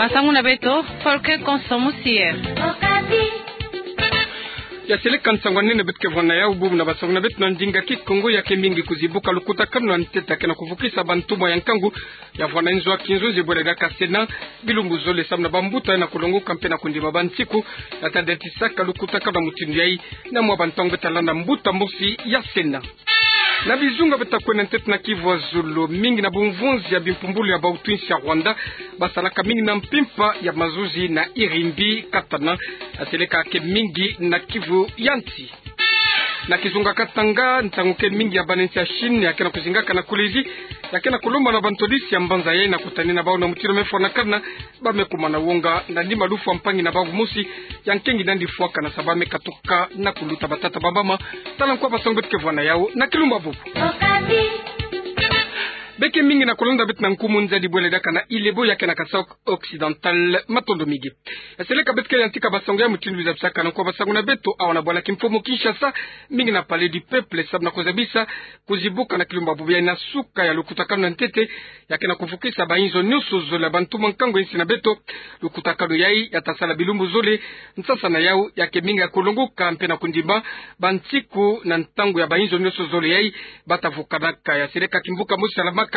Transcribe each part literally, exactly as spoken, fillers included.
Basangu na beto, Folke Konso Musier. Ya seleka nsangu a nene beto ke vwanda yau, bubu na basangu na beto na ndinga Kikongo. Ya ke mingi kuzibuka lukutakanu ya ntete ya ke na kuvukisa bantumwa ya nkangu ya vwanda nzo a kinzonzi bwele diaka Sénat, bilumbu zole samu na bambuta ya na kulongoka mpe na kundima bansiku ya ta datisaka lukutakanu ya mutindu yayi. Na mwa bantangu beto ta landa mbuta mosi ya Sénat. Na bizunga beto ta kwenda ntete na Kivu ya zulu, mingi na bumvunzi ya bimpumbulu ya bautu insi ya Rwanda basalaka mingi na mpimpa ya mazuzi na Irimbi Katana, ya seleka ke mingi na Kivu ya nsi. Na kizunga Katanga, ntangu ke mingi ya bana nsi ya Chine ya ke na kuzingaka na Kolwezi, ya ke na kulomba na bantwadisi ya mbanza yayi na kutanina bau na mutindu me fwanakana, ba me kuma na wonga na nima lufwa mpangi na bau mosi ya nkengi nandi fwakana sa ba me katuka na kuluta. Batata, bamama, tala nkwa basangu beto ke vwanda yau na kilumbu bubu. Be ke mingi na kulanda beto na nkumu nzadi bwele diaka na Ile Ebo ya ke na Kasaï Occidental. Matondo mingi. Ya seleka beto ke yantika basangu ya mutindu zabisaka na nkwa basangu na beto awa na bwala kimfumu Kinshasa, mingi na Palais du Peuple, samu na kuzabisa kuzibuka na kilumbu bubu yayi na suka ya lukutakanu ya ntete ya ke na kuvukisa bainzo nyonso zole ya bantumwa nkangu ya insi na beto. Lukutakanu yayi ya ta sala bilumbu zole. Nsasa na yau ya ke mingi ya kulongoka mpe na kundima bansiku na ntangu ya bainzo nyonso zole yayi ba ta vukanaka. Ya seleka kimvuka mosi salamaka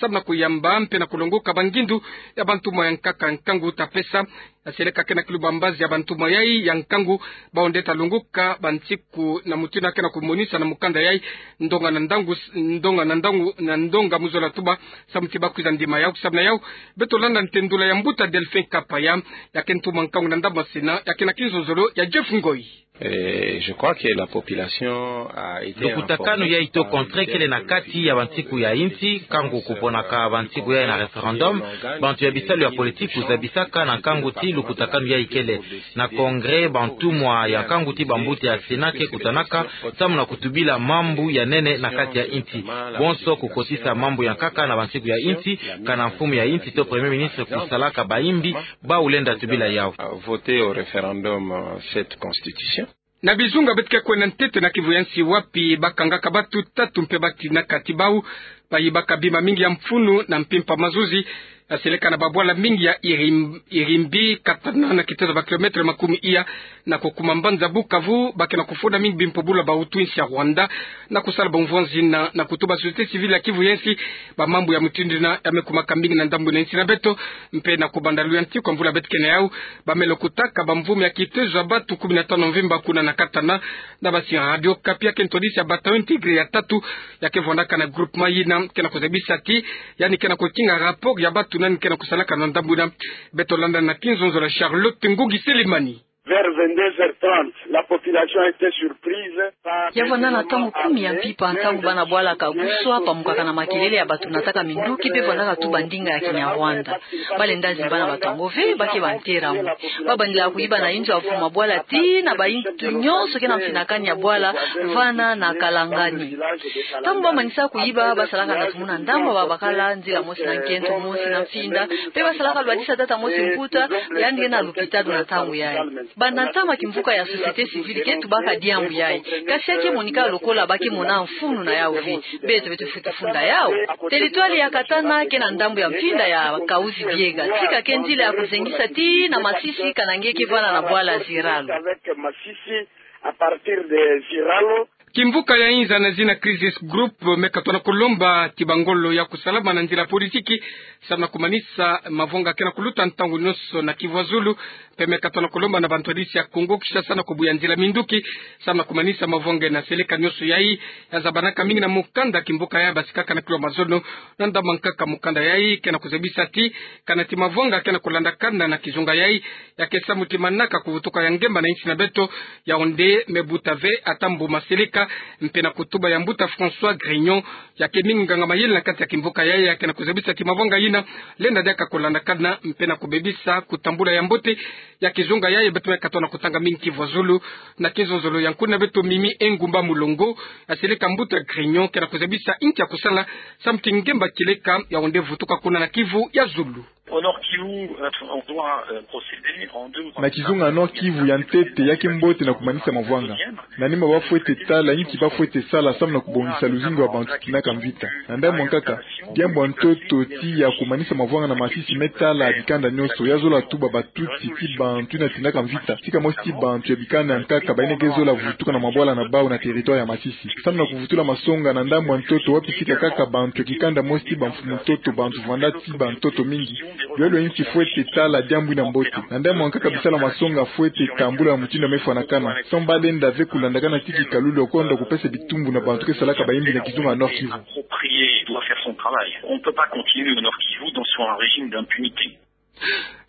samu na kuyamba mpe na kulongoka bangindu ya bantumwa ya nkaka nkangu ta pesa. Ya seleka ke na kilumbu mbazi ya bantumwa yayi ya nkangu, bau nde ta longoka bansiku na mutindu ya ke na kumonisa na mukanda yayi ndonga na ndangu, ndonga na ndangu, na ndonga mu zola tuba samu ti ba kwiza ndima yau. Samu na yau beto landa ntendula ya mbuta Delphin Kapaya, ya ke ntumwa nkangu na ndambu ya Sénat, ya ke na kinzonzolo ya Jeff Ngoi. Et je crois que la population a été informée par le dernier bulletin. Lukutakanu yayi to contrat kele na kati ya bansiku ya insi, nkangu kuponaka bansiku yayi na référendum, bantu ya bisalu ya politique kuzabisaka na nkangu ti lukutakanu yayi kele na congrès, bantumwa ya nkangu ti bambuta ya Sénat ke kutanaka samu na kutubila mambu ya nene na kati ya insi. Bonso kukotisa mambu ya nkaka na bansiku ya insi, kana mfumu ya insi to premier ministre kusalaka bayimbi, bau lenda tubila yau. Voter au référendum, euh, cette constitution. Na bizunga beto ke kwenda ntete na Kivu ya nsi, wapi ba kangaka batu tatu mpe ba tinaka ti bau ba yibaka bima mingi ya mfunu na mpimpa mazuzi, ya seleka na babwala mingi ya Irim-, Irimbi Katana, na kitezo ba kilomètre makumi iya na kukuma mbanza Bukavu, ba ke na kufunda mingi bimpumbulu ya bautu insi ya Rwanda na kusala bumvunzi na, na kutuba société civile ya Kivu ya nsi, bamambu ya mutindu yina ya me kumaka mingi na ndambu na insi na beto. Mpe na kubanda luyantiku ya mvula beto ke na yau, ba me lokotaka bamvumu ya kitezo ya batu kumi na tanu mvimba kuna na Katana, na basi Radio Okapi, ya ke ntwadisi ya bataillon Tigre ya tatu, ya ke vwandaka na groupement yina ke na kuzabisa ti yandi ke na kukinga rapport ya batu nani ke na kusalaka na ndambu yina. Beto landa na kinzonzolo ya Charlotte Ngungi Selemani. Vers vingt-deux heures trente, la population était surprise par... Ya vwanda na ntangu kumi ya mpimpa, ntangu bana bwala Kaguswa pamukaka na makelele ya batu nataka minduki mpe vwandaka tuba ndinga ya Kinyarwanda. Ba lenda zimba na bato yango ve, ba ke ba ntera mu. Ba bandila kuyiba na inzo ya vuma bwala tii na bainzo nyonso ke na mfinakani ya bwala vana na Kalangani. Ntangu ba manisa kuyiba, ba salaka na tumuna ndambu, ba bakala nzila mosi na nkento, mosi na mfinda, mpe ba salaka lwadisa tata mosi mbuta, yandi ke na lupitalu na ntangu yayi. Banda ntama kimvuka ya société civile ke tubaka diambu yayi. Kasi ya ke monika lokola ba ke mona mfunu na yau ve. Beto, beto fwete funda yau. Territoire ya Katana ke na ndambu ya mfinda ya Kahuzi-Biega. Tika ke nzila ya kuzengisa tii na Masisi, kana nge ke vana na bwala Ziralo. Kimvuka ya inza na zina Crisis Group me katwa na kulomba ti bangolo ya kusalama na nzila politiki, samu na kumanisa mavwanga ke na kuluta ntangu nyonso na Kivu ya Zulu, mpe me katwa na kulomba na bantwadisi ya Kongo Kinshasa na kubuya nzila minduki, samu na kumanisa mavwanga na seleka nyonso yayi. Ya zabanaka mingi na mukanda kimvuka ya basikaka na kilo mazono, na ndambu ya nkaka mukanda yayi ke na kuzabisa ti, kana ti mavwanga ke na kulandakana na kizunga yayi, ya ke samu ti manaka kuvutuka ya ngemba na insi na beto, yau nde me buta ve ata mbuma seleka. Mpe na kutuba ya mbuta François Grignon, ya ke mingi nganga mayele na kati ya kimvuka yayi, ya ke na kuzabisa ti mavwanga yina lenda diaka kulandakana, mpe na kubebisa kutambula ya mbote ya kizunga yayi. Beto me katwa na kutanga mingi Kivu ya Zulu na kinzonzolo ya nkuna beto Mimi Engumba Mulongo, ya seleka mbuta Grignon ke na kuzabisa inki ya kusala samu ti ngemba kieleka yau nde vutuka kuna na Kivu ya Zulu. Au Nord-Kivu, euh, on doit, euh, procéder en deux ou trois étapes. Na kizunga Nord-Kivu, ya ntete ya ke mbote na kumanisa mavwanga. Na nima ba fwete tala inki ba fwete sala samu na kubongisa luzingu ya bantu tinaka mvita. Na ndambu ya nkaka, diambu ya ntoto tiya kumanisa mavwanga na masisi me tala bikanda nionso, ya zola tuba ba Tutsi ti bantu yina tinaka mvita, tika mosi ti bantu ya bikanda ya nkaka bayina ke zola vutuka na mabwala na bawu na territoire ya masisi. Samu na kuvutula masonga na ndambu ya ntoto wapi tika kaka bantu ya kikanda mosi ti bamfumu ntoto, bantu vwanda ti bantoto mingi. Lwelo inki fwete tala diambu yina mbote. Na ndambu ya nkaka bisalu ya masonga fwete tambula na mutindu ya mefwanakana, samu ba lenda ve kulandakana ti kikalulu ya kwenda kupesa bitumbu na bantu ke salaka bayimbi na kizunga Nord-Kivu. Approprié, doit faire son travail. On ne peut pas continuer au Nord-Kivu dans, sur un régime d'impunité.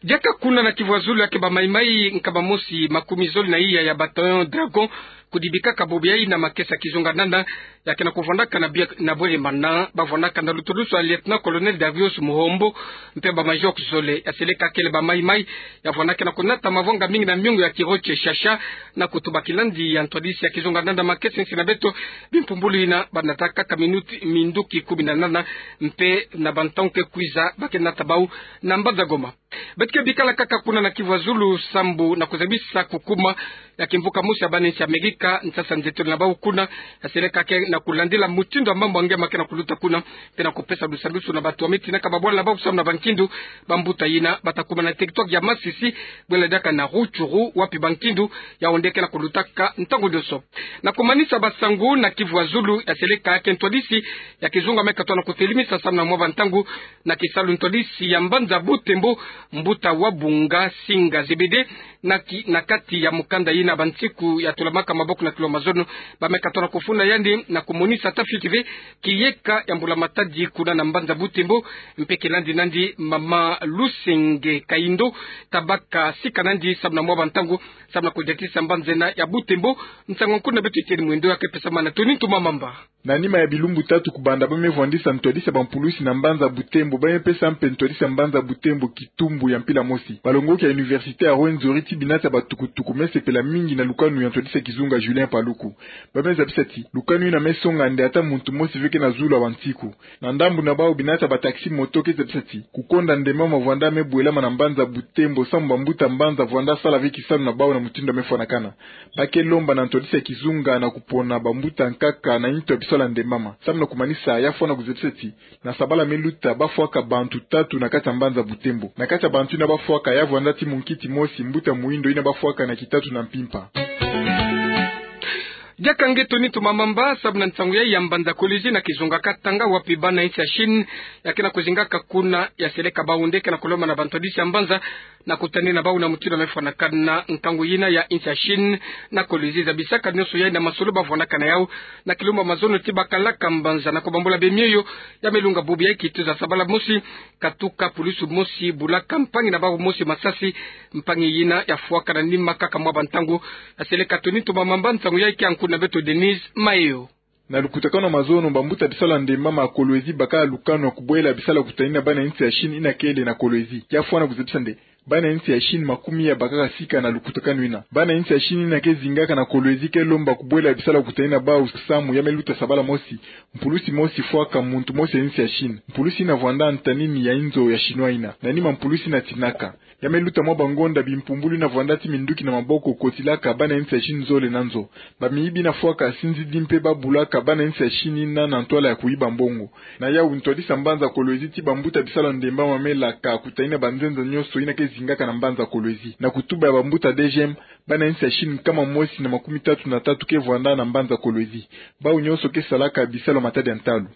Diaka kuna na Kivu ya Zulu, ya ke ba Mai-Mai nkama mosi makumi zole na iya ya bataillon Dragon kudibikaka bobo yayi na makesa kizunga nana, ya ke na kuvwandaka na bia-, na Bweremana, ba vwandaka na lutulusu ya Lieutenant-colonel Darius Muhombo, mpe ba major zole. Ya seleka kele ba Mai-Mai, ya vwandaka na kunata mavwanga mingi na miongo ya Kiroche Shasha, na kutuba kilandi ya ntwadisi ya kizunga nana makesa nsi na beto, bimpumbulu yina ba nataka kaka minuti, minduki kumi na nana, mpe na bantangu ke kwiza ba ke nata bawu na mbanza Goma. Beto ke bikala kaka kuna na Kivu ya Zulu, sambu na kuzabisa kukuma ya kimvuka mosi ya bana nsi ya Amerika, nsasa nzetolo na bawu kuna, ya seleka ke na kulandila mutindu ya mambu ya nge ma ke na kuluta kuna, mpe na kupesa lusalusu na bantu ya me tinaka babwala na bawu samu na bankindu, bambuta yina ba ta kuma na territoire ya masisi, bwela diaka na Rutshuru, wapi bankindu ya onde ke na kulutaka ntangu nionso. Na kumanisa basangu na Kivu ya Zulu, ya seleka ke ntwadisi ya kizunga me katono kutelimisa samu na mwa bantangu, na kisalu ntwadisi ya mbanza Butembo, mbuta Wabunga Singa Zebede, na ki-, na kati ya mukanda yina Bantsiku ya tulamaka maboko na kilo mazono, ba me katono kufunda yandi na kumonisa ta fioti ve kiyeka ya mbula-matadi kuna na mbanza Butembo, mpe kilandi nandi mama Lusenge Kayindo, tabaka sika nandi samu na mwa bantangu, samu na kudiatisa mbanza yina ya Butembo. Nsangu nkuna beto Etienne Mwendo ya ke pesa ma na Tony Ntumamamba. Na nima ya bilumbu tatu kubanda ba me vwandisa ntwadisi ya bampulusi na mbanza Butembo, ba me pesa mpe ntwadisi ya mbanza Butembo kitumbu ya mpila mosi. Balongoki ya université ya Rwenzori ti binata ya batukutuku me sepela mingi na lukanu ya ntwadisi ya kizunga Julien Paluku. Ba me zabisa ti lukanu yina me songa nde ata muntu mosi ve ke na zulu ya Bantsiku. Na ndambu na bawu binata ya bataxi-moto ke zabisa ti kukonda ndembama vwanda me bwelama na mbanza Butembo samu bambuta mbanza vwanda sala ve kisalu na bawu na mutindu ya me fwanakana. Ba ke lomba na ntwadisi ya kizunga na kupona bambuta nkaka na ntu ya bisalu ya ndembama. Samu na kumanisa, ya fwana kuzabisa ti na sabala me luta ba fwaka bantu tatu na kati ya mbanza Butembo. Na kati ya bantu yina ba fwaka, ya vwanda ti munkiti mosi, mbuta muindo, yina ba fwaka na Kitatu na Mpimpa. Diaka nge Tony Ntumamamba, samu na nsangu yayi ya mbanza Kolwezi na kizunga Katanga, wapi bana nsi ya Chine ya ke na kuzingaka kuna, ya seleka bawu nde ke na kulomba na bantwadisi ya mbanza na kutanina bawu na mutindu ya me fwanakana nkangu yina ya nsi ya Chine na Kolwezi. Zabisaka nionso yayi na masolo ba vwanaka na yawu na kilumbu ya mazono ti bakalaka mbanza na kubambula bemioyo. Ya me lunga bubu yayi, kituza sabala mosi, katuka pulusu mosi bulaka mpangi na bawu mosi masasi, mpangi yina ya fwaka na nima kaka mwa bantangu. Ya seleka Tony Ntumamamba, nsangu yayi ke ya nkuna beto Denise Mayo. Na lukutakanu ya mazono, bambuta bisalu ya ndembama ya Kolwezi bakala lukanu ya kubwela bisalu ya kutanina bana nsi ya Chine yina kele na Kolwezi. Ya fwana kuzabisa nde bana nsi ya Chine makumi ya bakaka sika na lukutakanu yina. Bana nsi ya Chine yina ke zingaka na Kolwezi ke lomba kubwela bisalu ya kutanina bawu samu ya me luta sabala mosi. Mpulusi mosi fwaka muntu mosi ya nsi ya Chine. Mpulusi yina vwanda ntanini ya inzo ya Chinois yina. Na nima mpulusi yina tinaka. Ya me luta mwa bangonda, bimpumbulu yina vwanda ti minduki na maboko kotilaka bana nsi ya Chine zole na nzo. Bamiyibi yina fwaka sinzidi mpe ba bulaka bana nsi ya Chine yina na ntwala ya kuyiba mbongo. Na yawu ntwadisi ya mbanza Kolwezi ti bambuta bisalu ya ndembama me laka kutanina banzenza nionso yina ke zingaka na mbanza Kolwezi. Na kutuba ya bambuta DGM, bana nsi ya Chine nkama mosi na makumi tatu na tatu ke vwanda na mbanza Kolwezi. Bawu nionso ke salaka bisalu ya matadi ya ntalu.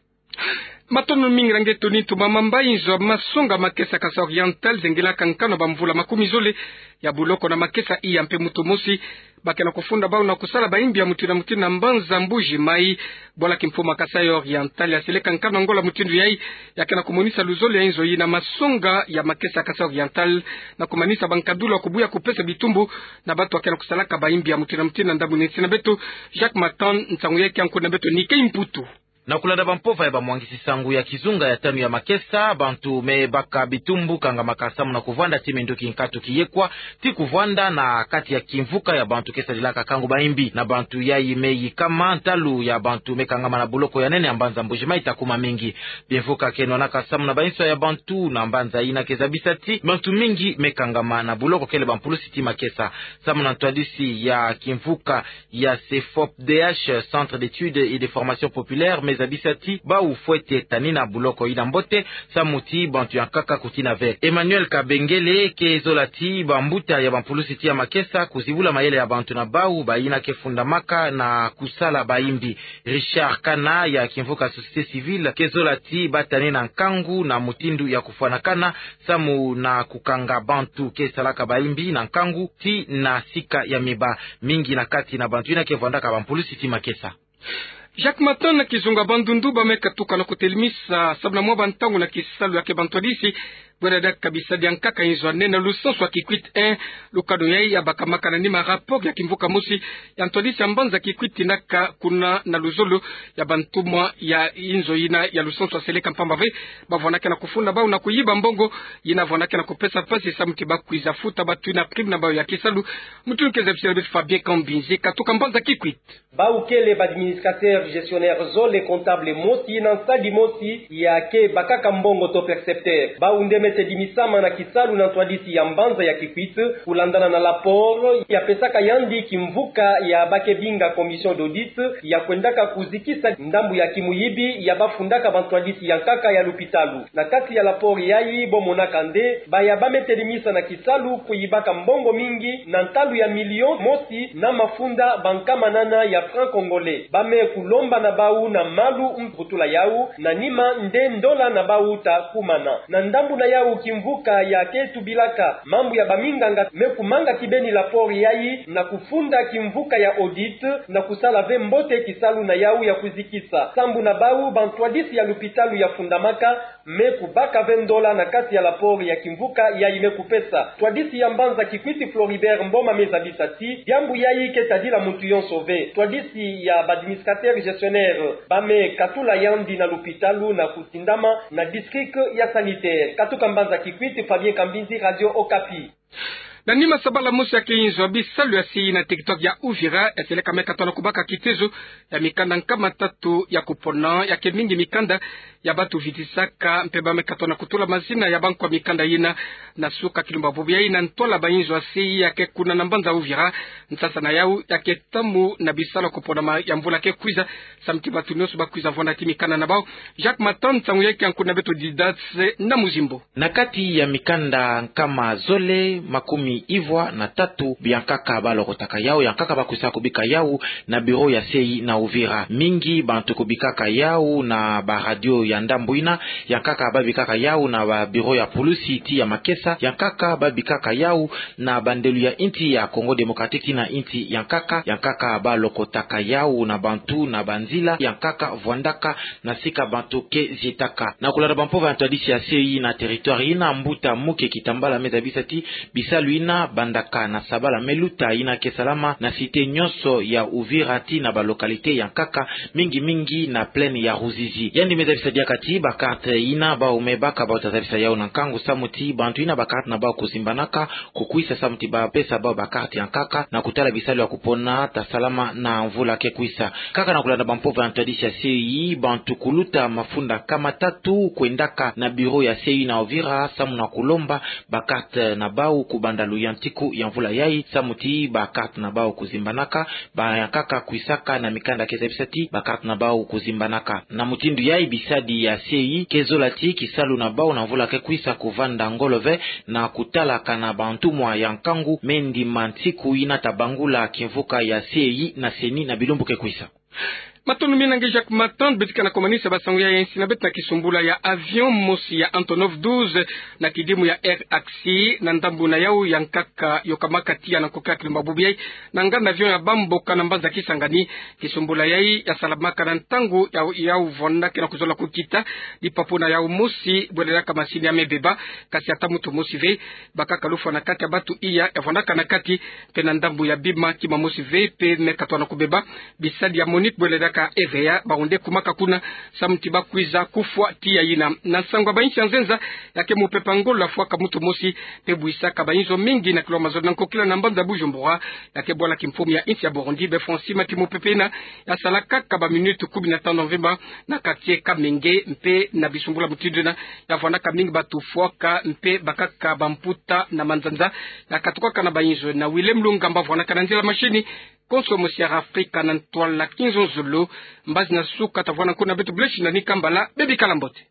Matondo mingi na nge Tony Ntumamamba. Inzo ya masonga makesa Kasaï Oriental zengelaka nkanu ya bamvula makumi zole ya buloko na makesa iya mpe moto mosi ba ke na kufunda bawu na kusala bayimbi ya mutindu na mutindu na mbanza Mbuji Mayi. Bwala Kimfumu ya Kasaï Oriental ya seleka nkanu ya ngola mutindu yayi, ya ke na kumonisa luzole ya inzo yina masonga ya makesa Kasaï Oriental na kumanisa bankadulu ya kubuya kupesa bitumbu na bantu ba ke na kusalaka bayimbi ya mutindu na mutindu na ndambu neti na beto. Jacques Matan, nsangu yayi ke ya nkuna beto Nicky Mputu. Na kulanda bampova ya bamwangisi sango ya kizunga ya tanu ya makesa, bantu me baka bitumbu kangamaka samu na kuvwanda ti minduki nkatu kiyekwa ti kuvwanda na kati ya kimvuka ya bantu ke sadilaka kangu baimbi. Na bantu yayi me yikama, ntalu ya bantu me kangama na boloko ya nene ya mbanza Mbuji-Mayi ta kuma mingi. Bimvuka ke nwanaka samu na bainso ya bantu na mbanza yina ke zabisa ti bantu mingi me kangama na boloko kele bampulusi ti makesa. Samu na ntwadisi ya kimvuka ya CEFOPDH, Centre d'Études et de Formation Populaire, me zabisa ti bau fwete tanina boloko yina mbote, samu ti bantu ya nkaka kutina ve. Emmanuel Kabengele ke zola ti bambuta ya bampulusi ti ya makesa kuzibula mayele ya bantu na bau bayina ke fundamaka na kusala baimbi. Richard Kana ya kimvuka Société Civile ke zola ti ba tanina nkangu na mutindu ya kufwanakana samu na kukanga bantu ke salaka baimbi na nkangu ti na sika ya miba. Mingi na kati na bantu yina ke vwandaka bampulusi ti makesa. Jacques Matin, na kizunga Bandundu, ba me katuka na kutelemisa samu na mwa bantangu na kisalu ya ke bantwadisi bwela diaka bisadi ya nkaka inzo ya nene na lusansu ya Kikwit un. Lukanu yayi ya bakamaka na nima rapport ya kimvuka mosi ya ntwadisi ya mbanza Kikwit naka kuna na luzolo ya bantumwa ya inzo yina ya lusansu ya seleka, mpamba ve ba vwanaka na kufunda bau na kuyiba mbongo yina vwanaka na kupesa mpasi samu ti ba kwiza futa bantu yina prime na bau ya kisalu. Mutu ke zabisila beto Fabien Kambinzi, katuka mbanza Kikwit. Bau kele ba administrateur gestionnaire zole, comptable mosi na nsadi mosi ya ke bakaka mbongo to percepteur. Bau nde me tedimisama na kisalu na ntwadisi ya mbanza ya Kikwit, kulandana na rapport ya pesaka yandi kimvuka ya ba ke binga commission d'audit ya kwendaka kuzikisa ndambu ya kimuyibi ya ba fundaka bantwadisi ya nkaka ya lupitalu. Na kati ya rapport yayi bo monaka nde baya ba me telimisa na kisalu kuyibaka mbongo mingi na ntalu ya million mosi na mafunda ba nkama nana ya franc congolais. Ba me kulomba na bau na malu mvutula yau, na nima nde ndola na bau ta kumana. Na ndambu na yau, kimvuka ya ke tubilaka mambu ya baminganga me kumanga kibeni rapport yayi na kufunda kimvuka ya audit na kusala ve mbote kisalu na yau ya kuzikisa. Sambu na bau, bantwadisi ya lupitalu ya fundamaka me kubaka ve ndola na kati ya rapport ya kimvuka yayi me kupesa. Ntwadisi ya mbanza Kikwit Floribert Mboma me zabisa ti diambu yayi ke tadila muntu yonso ve. Ntwadisi ya ba administrateur gestionnaire ba me katula yandi na lupitalu na kutindama na district ya sanitaire. Katuka mbanza Kikwit, Fabien Kambinzi, Radio Okapi. Na nima sabala mosi ya ke inzo ya bisalu ya C I na territoire ya Uvira, ya seleka me katona kubaka kitezo ya mikanda nkama tatu ya kupona, ya ke mingi mikanda ya ba tuvitisaka, mpe ba me katona kutula mazina ya bankwa mikanda yina na suka kilumba bubu yayi na ntwala ba inzo ya C I ya ke kuna na mbanza Uvira. Nsasa na yau ya ke tamu na bisalu ya kuponama ya mvula ke kwiza, samu ti bantu nyonso ba kwiza vwanda ti mikanda na bau. Jacques Matin, nsangu yayi ke nkuna beto Didace na Muzimbo. Na kati ya mikanda nkama zole makumi ivwa na tatu, biankaka ba lokotaka yau, yankaka ba kwisa kubika yau na bureau ya C I na Uvira. Mingi bantu kubikaka yau na ba radio ya ndambu yina, yankaka ba bikaka yau na ba bureau ya pulusi ti ya makesa, yankaka ba bikaka yau na bandelo ya insi ya Congo Démocratique ti na insi yankaka, yankaka ba lokotaka yau na bantu na banzila yankaka vwandaka na sika bantu ke zietaka. Na kulanda bampova ya ntwadisi ya C I na territoire yina, mbuta Muke Kitambala me zabisa ti bisalu yina bandaka na sabala me luta yina ke salama na cité nyonso ya Uvira ti na ba localité yankaka, mingi mingi na plaine ya Ruzizi. Yandi me zabisa diaka ti ba carte yina bau me baka bau ta zabisa yau na nkangu samu ti bantu yina ba carte na bau kuzimbanaka kukwisa samu ti ba pesa bau ba carte yankaka na kutala bisalu ya kupona ta salama na mvula ke kwisa. Kaka na kulanda bampova ya ntwadisi ya C I, bantu kuluta mafunda nkama tatu kwendaka na bureau ya C I na Uvira samu na kulomba ba carte na bau kubanda luyantiku ya mvula yayi, samu ti ba carte na bau kuzimbanaka, ba yankaka kwisaka na mikanda ke zabisa ti ba carte na bau kuzimbanaka. Na mutindu yayi, bisadi ya C I ke zola ti kisalu na bau na mvula ke kwisa kuvanda ngolo ve na kutalaka na bantumwa ya nkangu me ndima nsiku yina ta bangula kimvuka ya C I na C E N I na bilumbu ke kwisa. Matondo mingi na nge Jacques Matin. Beto ke na komanisa ba sango ya insi na beto na kisumbula ya avion mosi ya Antonov douze na kidimu ya Air Asie, na ndambu na yau yankaka yokamaka tiya na nkoki ya kilumba bubu yayi na nganda avion ya bamboka na mbanza Kisangani. Kisumbula yayi ya salamaka na ntangu ya, yau vwandaka na kuzola kukita. Lipapu na yau mosi bwelelaka masini ya me beba, kasi ata muntu mosi ve. Bakaka lufwa na kati ya bantu iya ya vwandaka na kati, mpe na ndambu ya bima kima mosi ve mpe me katwa na kubeba. Bisadi ya MONUC bwelelaka Eveya, bawu nde kumaka kuna, samu ti bakwiza kufwa tiya yina. Na nsangu ya ba-insi ya nzenza, ya ke mupepe Angola afwaka muntu mosi, mpe bwisaka bayinzo mingi na kilwa mazolo na nkokila na mbanza Bujumbura, ya ke bwala kimfumu ya insi ya Burundi. Bê Francima, ti mupepe yina ya sala kaka ba minutes kumi na tanu mvimba na quartier Kamenge, mpe na bisumbula mutindu yina ya vwanaka mingi batu fwaka, mpe bakaka bamputa na manzanza ya katukaka na bayinzo. Na Willem Lungamba vwanaka na nzila machine, konso mosi ya Afrika na ntwala kinzonzolo. Mbazi na suka ta vwana nkuna beto, blesi na ni kambala, bê bikala mbote.